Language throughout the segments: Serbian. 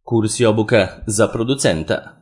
Kurs i obuka za producenta.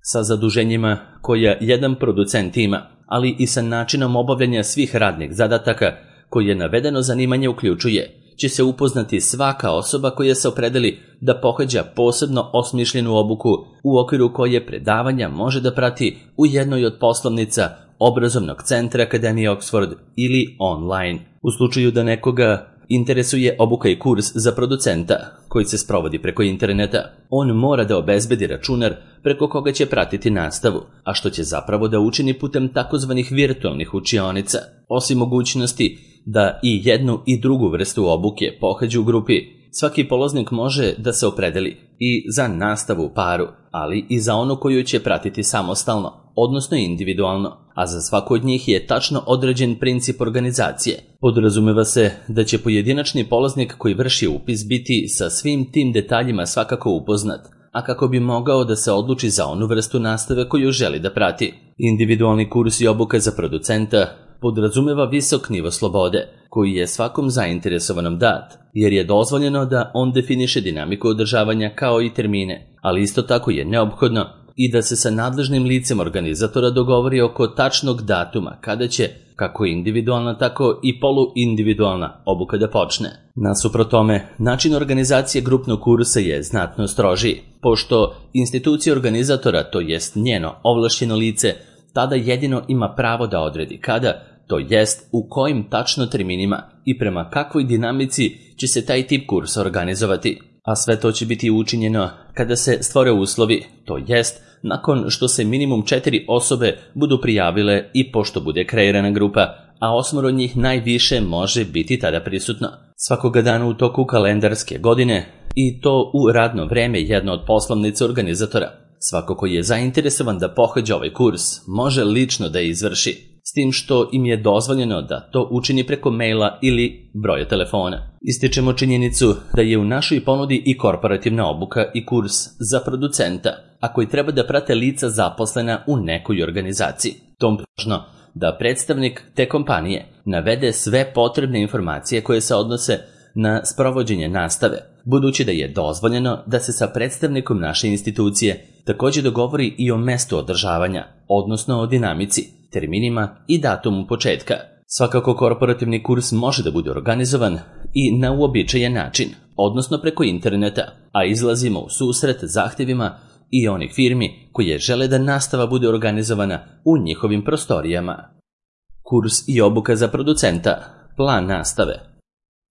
Sa zaduženjima koja jedan producent ima, ali i sa načinom obavljanja svih radnih zadataka koje navedeno zanimanje uključuje, će se upoznati svaka osoba koja se opredeli da pohađa posebno osmišljenu obuku u okviru koje predavanja može da prati u jednoj od poslovnica obrazovnog centra Akademije Oxford ili online. U slučaju da nekoga interesuje obuka i kurs za producenta koji se sprovodi preko interneta, on mora da obezbedi računar preko koga će pratiti nastavu, a što će zapravo da učini putem takozvanih virtualnih učionica. Osim mogućnosti da i jednu i drugu vrstu obuke pohađa u grupi, svaki polaznik može da se opredeli i za nastavu u paru, ali i za onu koju će pratiti samostalno, odnosno individualno, a za svako od njih je tačno određen princip organizacije. Podrazumeva se da će pojedinačni polaznik koji vrši upis biti sa svim tim detaljima svakako upoznat, a kako bi mogao da se odluči za onu vrstu nastave koju želi da prati. Individualni kurs i obuka za producenta podrazumeva visok nivo slobode, koji je svakom zainteresovanom dat, jer je dozvoljeno da on definiše dinamiku održavanja kao i termine, ali isto tako je neophodno i da se sa nadležnim licem organizatora dogovori oko tačnog datuma kada će, kako individualna tako i poluindividualna obuka da počne. Nasuprot tome, način organizacije grupnog kursa je znatno strožiji, pošto institucija organizatora, to jest njeno ovlašćeno lice, tada jedino ima pravo da odredi kada, to jest u kojim tačno terminima i prema kakvoj dinamici će se taj tip kursa organizovati. A sve to će biti učinjeno kada se stvore uslovi, to jest nakon što se minimum 4 osobe budu prijavile i pošto bude kreirana grupa, a 8 od njih najviše može biti tada prisutno. Svakoga dana u toku kalendarske godine i to u radno vreme jedno od poslovnica organizatora. Svako ko je zainteresovan da pohađa ovaj kurs može lično da izvrši, s tim što im je dozvoljeno da to učini preko maila ili broja telefona. Ističemo činjenicu da je u našoj ponudi i korporativna obuka i kurs za producenta, a koji treba da prate lica zaposlena u nekoj organizaciji. Tom važno da predstavnik te kompanije navede sve potrebne informacije koje se odnose na sprovođenje nastave, budući da je dozvoljeno da se sa predstavnikom naše institucije također dogovori i o mestu održavanja, odnosno o dinamici, terminima i datumu početka. Svakako korporativni kurs može da bude organizovan i na uobičajen način, odnosno preko interneta, a izlazimo u susret zahtjevima i onih firmi koje žele da nastava bude organizovana u njihovim prostorijama. Kurs i obuka za producenta, plan nastave.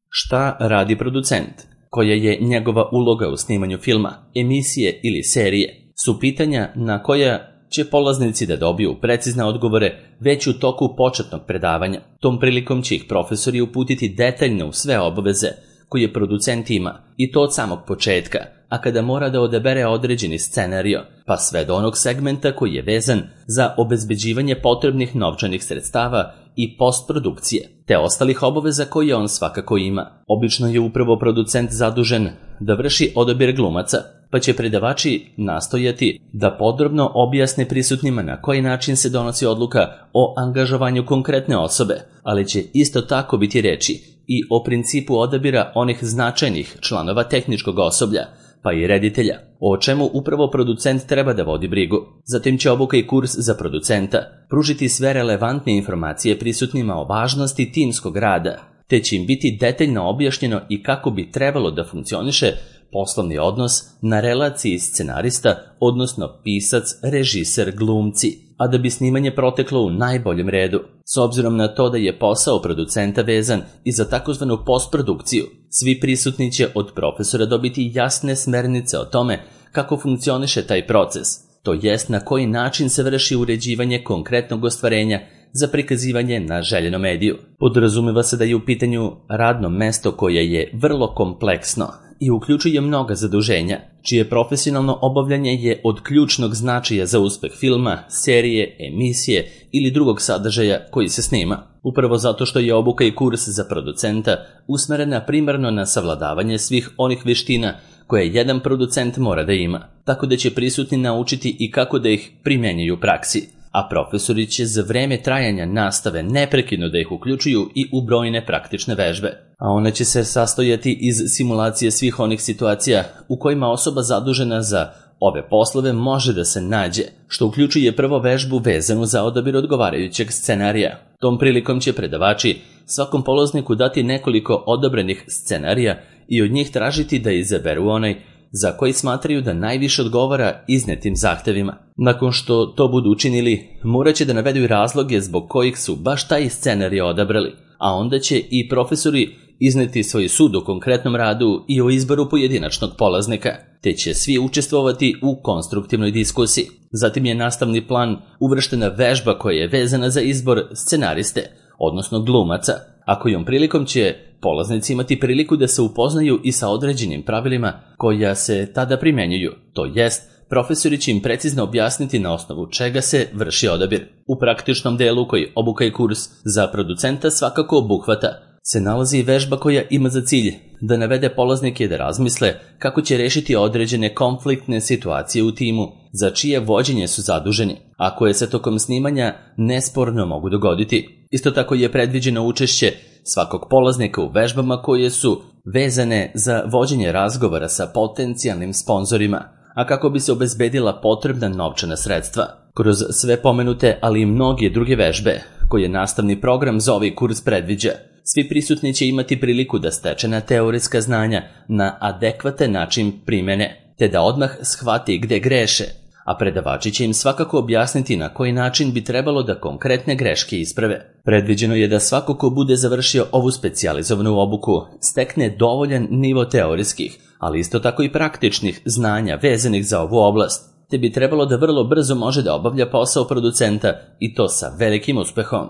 Šta radi producent? Koja je njegova uloga u snimanju filma, emisije ili serije? Su pitanja na koja će polaznici da dobiju precizne odgovore već u toku početnog predavanja. Tom prilikom će ih profesori uputiti detaljno u sve obaveze koje producent ima, i to od samog početka, a kada mora da odabere određeni scenario, pa sve do onog segmenta koji je vezan za obezbeđivanje potrebnih novčanih sredstava i postprodukcije, te ostalih obaveza koje on svakako ima. Obično je upravo producent zadužen da vrši odabir glumaca, pa će predavači nastojati da podrobno objasne prisutnima na koji način se donosi odluka o angažovanju konkretne osobe, ali će isto tako biti reči i o principu odabira onih značajnih članova tehničkog osoblja, pa i reditelja, o čemu upravo producent treba da vodi brigu. Zatim će obuka i kurs za producenta pružiti sve relevantne informacije prisutnima o važnosti timskog rada, te će im biti detaljno objašnjeno i kako bi trebalo da funkcioniše poslovni odnos na relaciji scenarista, odnosno pisac, režiser, glumci, a da bi snimanje proteklo u najboljem redu. S obzirom na to da je posao producenta vezan i za takozvanu postprodukciju, svi prisutni će od profesora dobiti jasne smernice o tome kako funkcioniše taj proces, to jest na koji način se vrši uređivanje konkretnog ostvarenja za prikazivanje na željenom mediju. Podrazumeva se da je u pitanju radno mesto koje je vrlo kompleksno i uključuje mnoga zaduženja, čije profesionalno obavljanje je od ključnog značaja za uspeh filma, serije, emisije ili drugog sadržaja koji se snima. Upravo zato što je obuka i kurs za producenta usmerena primarno na savladavanje svih onih veština koje jedan producent mora da ima, tako da će prisutni naučiti i kako da ih primjenjuju u praksi. a profesori će za vreme trajanja nastave neprekidno da ih uključuju i u brojne praktične vežbe. A one će se sastojati iz simulacije svih onih situacija u kojima osoba zadužena za ove poslove može da se nađe, što uključuje prvo vežbu vezanu za odabir odgovarajućeg scenarija. Tom prilikom će predavači svakom polazniku dati nekoliko odobrenih scenarija i od njih tražiti da izaberu onaj za koji smatraju da najviše odgovara iznetim zahtevima. Nakon što to budu učinili, morat će da navedu razloge zbog kojih su baš taj scenarij odabrali, a onda će i profesori izneti svoj sud o konkretnom radu i o izboru pojedinačnog polaznika, te će svi učestvovati u konstruktivnoj diskusiji. Zatim je nastavni plan uvrštena vežba koja je vezana za izbor scenariste, odnosno glumaca, a kojom prilikom će polaznici imati priliku da se upoznaju i sa određenim pravilima koja se tada primenjuju, to jest profesori će im precizno objasniti na osnovu čega se vrši odabir. U praktičnom delu koji obuka i kurs za producenta svakako obuhvata se nalazi i vežba koja ima za cilj da navede polaznike da razmisle kako će rešiti određene konfliktne situacije u timu za čije vođenje su zaduženi, a koje se tokom snimanja nesporno mogu dogoditi. Isto tako je predviđeno učešće svakog polaznika u vežbama koje su vezane za vođenje razgovora sa potencijalnim sponzorima, a kako bi se obezbedila potrebna novčana sredstva. Kroz sve pomenute, ali i mnoge druge vežbe koje nastavni program za ovaj kurs predviđa, svi prisutni će imati priliku da stečena teorijska znanja na adekvatan način primene, te da odmah shvati gde greše, a predavači će im svakako objasniti na koji način bi trebalo da konkretne greške isprave. Predviđeno je da svako ko bude završio ovu specijalizovanu obuku stekne dovoljan nivo teorijskih, ali isto tako i praktičnih znanja vezanih za ovu oblast, te bi trebalo da vrlo brzo može da obavlja posao producenta i to sa velikim uspehom.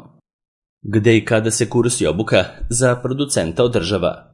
Gde i kada se kurs i obuka za producenta održava?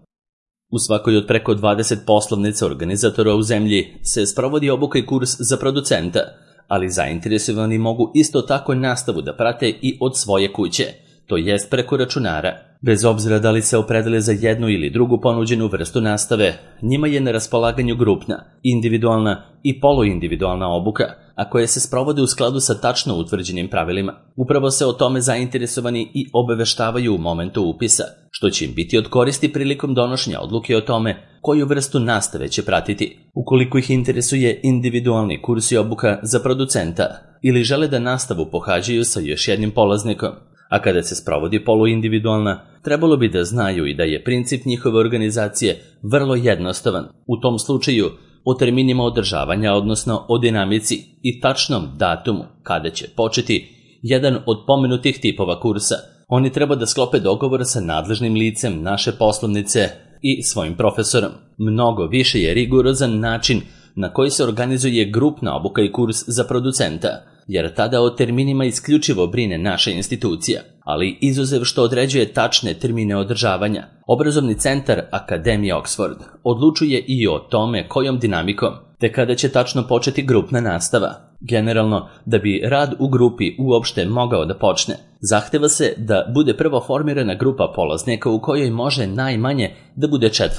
U svakoj od preko 20 poslovnica organizatora u zemlji se sprovodi obuka i kurs za producenta, ali zainteresovani mogu isto tako nastavu da prate i od svoje kuće, to jest preko računara. Bez obzira da li se opredele za jednu ili drugu ponuđenu vrstu nastave, njima je na raspolaganju grupna, individualna i poluindividualna obuka, a koje se sprovode u skladu sa tačno utvrđenim pravilima. Upravo se o tome zainteresovani i obaveštavaju u momentu upisa, što će im biti od koristi prilikom donošenja odluke o tome koju vrstu nastave će pratiti. Ukoliko ih interesuje individualni kurs i obuka za producenta ili žele da nastavu pohađaju sa još jednim polaznikom, a kada se sprovodi poluindividualna, trebalo bi da znaju i da je princip njihove organizacije vrlo jednostavan. U tom slučaju, o terminima održavanja, odnosno o dinamici i tačnom datumu kada će početi jedan od pomenutih tipova kursa, oni treba da sklope dogovor sa nadležnim licem naše poslovnice i svojim profesorom. Mnogo više je rigorozan način na koji se organizuje grupna obuka i kurs za producenta, jer tada o terminima isključivo brine naša institucija, ali izuzev što određuje tačne termine održavanja, obrazovni centar Akademije Oxford odlučuje i o tome kojom dinamikom, te kada će tačno početi grupna nastava. Generalno, da bi rad u grupi uopšte mogao da počne, zahteva se da bude prvo formirana grupa polaznika u kojoj može najmanje da bude 4,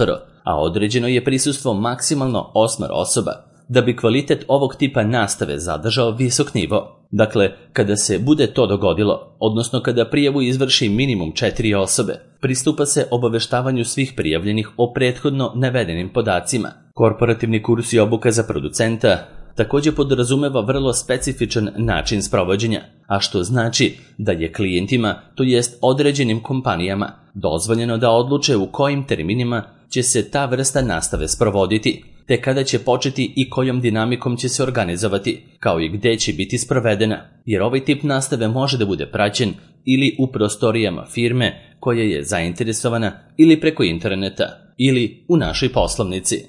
a određeno je prisustvo maksimalno 8 osoba, da bi kvalitet ovog tipa nastave zadržao visok nivo. Dakle, kada se bude to dogodilo, odnosno kada prijavu izvrši minimum 4 osobe, pristupa se obaveštavanju svih prijavljenih o prethodno navedenim podacima. Korporativni kurs i obuka za producenta također podrazumeva vrlo specifičan način sprovođenja, a što znači da je klijentima, to jest određenim kompanijama, dozvoljeno da odluče u kojim terminima će se ta vrsta nastave sprovoditi, te kada će početi i kojom dinamikom će se organizovati, kao i gde će biti sprovedena, jer ovaj tip nastave može da bude praćen ili u prostorijama firme koja je zainteresovana ili preko interneta, ili u našoj poslovnici.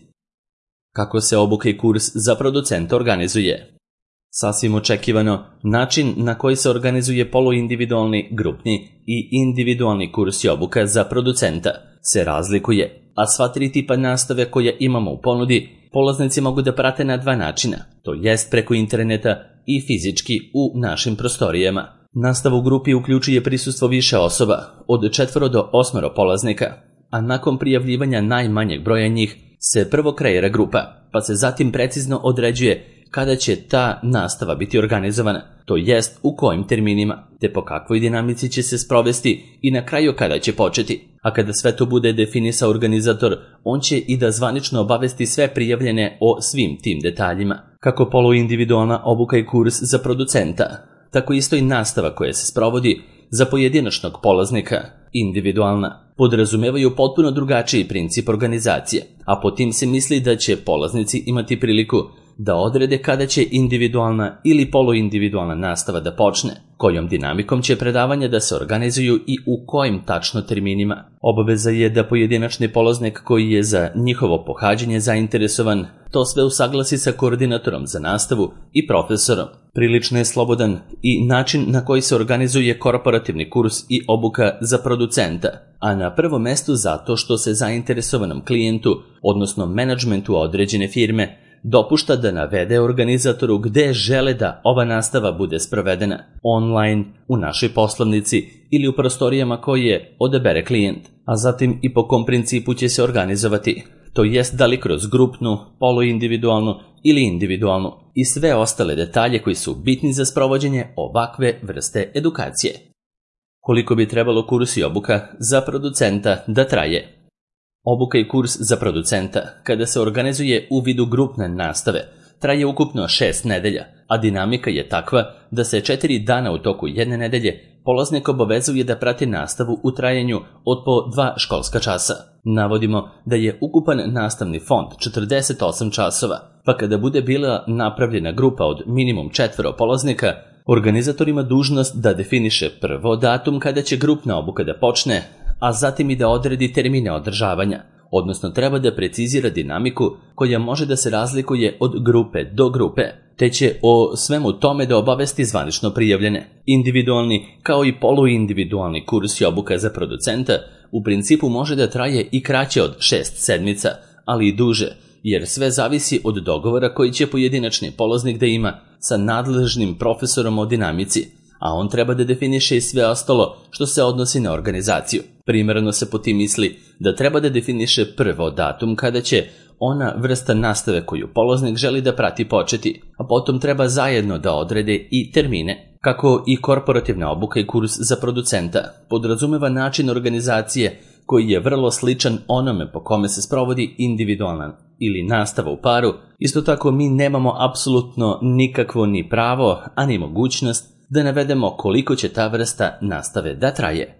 Kako se obuka i kurs za producenta organizuje? Sasvim očekivano, način na koji se organizuje poluindividualni, grupni i individualni kurs i obuka za producenta se razlikuje, a sva 3 tipa nastave koje imamo u ponudi polaznici mogu da prate na 2 načina, to jest preko interneta i fizički u našim prostorijama. Nastava u grupi uključuje prisustvo više osoba, od 4 do 8 polaznika, a nakon prijavljivanja najmanjeg broja njih se prvo kreira grupa, pa se zatim precizno određuje kada će ta nastava biti organizovana, to jest u kojim terminima, te po kakvoj dinamici će se sprovesti i na kraju kada će početi. A kada sve to bude definisao organizator, on će i da zvanično obavesti sve prijavljene o svim tim detaljima. Kako poluindividualna obuka i kurs za producenta, tako isto i nastava koja se sprovodi za pojedinačnog polaznika, individualna, podrazumevaju potpuno drugačiji princip organizacije, a po tim se misli da će polaznici imati priliku da odrede kada će individualna ili poluindividualna nastava da počne, kojom dinamikom će predavanja da se organizuju i u kojim tačno terminima. Obaveza je da pojedinačni polaznik koji je za njihovo pohađanje zainteresovan to sve usaglasi sa koordinatorom za nastavu i profesorom. Prilično je slobodan i način na koji se organizuje korporativni kurs i obuka za producenta, a na prvom mestu zato što se zainteresovanom klijentu, odnosno menadžmentu određene firme, dopušta da navede organizatoru gde žele da ova nastava bude sprovedena, online, u našoj poslovnici ili u prostorijama koje odabere klijent, a zatim i po kom principu će se organizovati, to jest da li kroz grupnu, poluindividualnu ili individualnu i sve ostale detalje koji su bitni za sprovođenje ovakve vrste edukacije. Koliko bi trebalo kurs i obuka za producenta da traje? Obuka i kurs za producenta, kada se organizuje u vidu grupne nastave, traje ukupno 6 nedelja, a dinamika je takva da se 4 dana u toku jedne nedelje polaznik obavezuje da prati nastavu u trajanju od po 2 školska časa. Navodimo da je ukupan nastavni fond 48 časova, pa kada bude bila napravljena grupa od minimum 4 polaznika, organizator ima dužnost da definiše prvo datum kada će grupna obuka da počne, a zatim i da odredi termine održavanja, odnosno treba da precizira dinamiku koja može da se razlikuje od grupe do grupe, te će o svemu tome da obavesti zvanično prijavljene. Individualni kao i poluindividualni kurs i obuka za producenta u principu može da traje i kraće od 6 sedmica, ali i duže, jer sve zavisi od dogovora koji će pojedinačni polaznik da ima sa nadležnim profesorom o dinamici, a on treba da definiše i sve ostalo što se odnosi na organizaciju. Primerno se po tim misli da treba da definiše prvo datum kada će ona vrsta nastave koju polaznik želi da prati početi, a potom treba zajedno da odrede i termine. Kako i korporativna obuka i kurs za producenta podrazumeva način organizacije koji je vrlo sličan onome po kome se sprovodi individualna ili nastava u paru, isto tako mi nemamo apsolutno nikakvo ni pravo, a ni mogućnost da navedemo koliko će ta vrsta nastave da traje.